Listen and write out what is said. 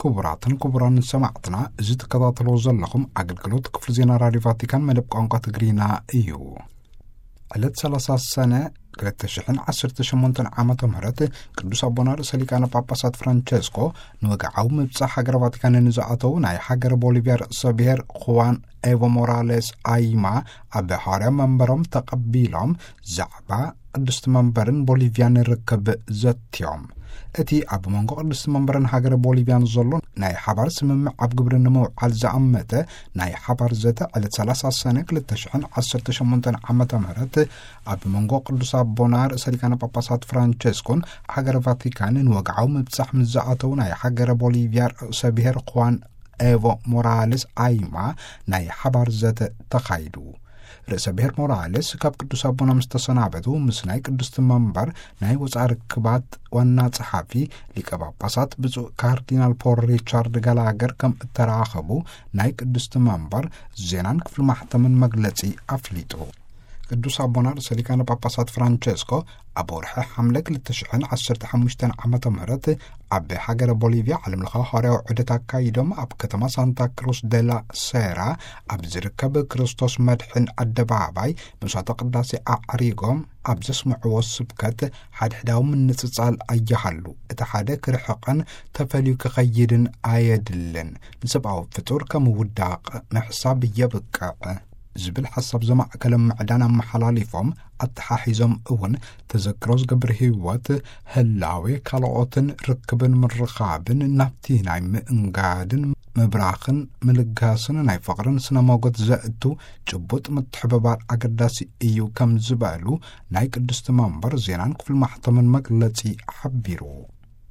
ክቡራትን ክቡራን ሰማዕትና፣ እዚ ትከታተልዎ ዘለኹም ኣገልግሎት ክፍሊ ዜና ራድዮ ቫቲካን መደብ ቋንቋ ትግርኛ እዩ። ዕለት ሰላሳ ሰነ ክልተ ሽሕን ዓሰርተ ሸሞንተን ዓመተ ምህረት ቅዱስ ኣቦና ርእሰ ሊቃነ ጳጳሳት ፍራንቸስኮ ንወግዓዊ ምብጻሕ ሃገረ ቫቲካን ንዝኣተዉ ናይ ሃገረ ቦሊቪያ ርእሰ ብሔር ኹዋን ኤቮ ሞራሌስ ኣይማ ኣብ ሓዋርያ መንበሮም ተቐቢሎም ዛዕባ ቅድስቲ መንበርን ቦሊቪያን ርክብ ዘትዮም። እቲ ኣብ መንጎ ቅድስቲ መንበርን ሃገረ ቦሊቪያን ዘሎ ናይ ሓባር ስምምዕ ኣብ ግብሪ ንምውዓል ዝኣመተ ናይ ሓባር ዘተ ዕለት ሰላሳ ሰነ ክልተ ሽሕን ዓሰርተ ሸሞንተን ዓመተ ምህረት ኣብ መንጎ ቅዱስ ኣቦና ርእሰ ሊቃነ ጳጳሳት ፍራንቸስኮን ሃገረ ቫቲካን ንወግዓዊ ምብጻሕ ምስ ዝኣተዉ ናይ ሃገረ ቦሊቪያ ርእሰ ብሔር ኹዋን ኤቮ ሞራልስ ኣይማ ናይ ሓባር ዘተ ተኻይዱ። ርእሰ ብሔር ሞራልስ ካብ ቅዱስ ኣቦና ምስ ተሰናበቱ፣ ምስ ናይ ቅድስቲ መንበር ናይ ወፃኢ ርክባት ዋና ጸሓፊ ሊቀ ጳጳሳት ብፁዕ ካርዲናል ፖል ሪቻርድ ጋላገር ከም እተራኸቡ ናይ ቅድስቲ መንበር ዜናን ክፍሊ ማሕተምን መግለጺ ኣፍሊጡ። ቅዱስ ኣቦና ርእሰ ሊቃነ ጳጳሳት ፍራንቸስኮ ኣብ ወርሒ ሓምለ ክልተ ሽሕን ዓሰርተ ሓሙሽተን ዓመተ ምህረት ኣብ ሃገረ ቦሊቪያ ዓለምለኻዊ ሃዋርያዊ ዑደት ኣካይዶም፣ ኣብ ከተማ ሳንታ ክሩስ ደላ ሴራ ኣብ ዝርከብ ክርስቶስ መድሕን ኣደባባይ መስዋዕተ ቅዳሴ ኣዕሪጎም ኣብ ዘስምዕዎ ስብከት፣ ሓድሕዳዊ ምንጽጻል ኣይሃሉ፣ እቲ ሓደ ክርሕቕን ተፈልዩ ክኸይድን ኣየድልን፣ ንሰብኣዊ ፍጡር ከም ውዳቕ ምሕሳብ የብቅዕ ዝብል ሓሳብ ዘማእከለ ምዕዳን ኣመሓላሊፎም፣ ኣተሓሒዞም እውን ተዘክሮ ዝገብር ህይወት፣ ህላዌ ካልኦትን ርክብን ምርኻብን ናብቲ ናይ ምእንጋድን ምብራኽን ምልጋስን ናይ ፍቕርን ስነ ሞገት ዘእቱ ጭቡጥ ምትሕብባር ኣገዳሲ እዩ ከም ዝበሉ ናይ ቅድስቲ መንበር ዜናን ክፍሊ ማሕተምን መግለጺ ሓቢሩ።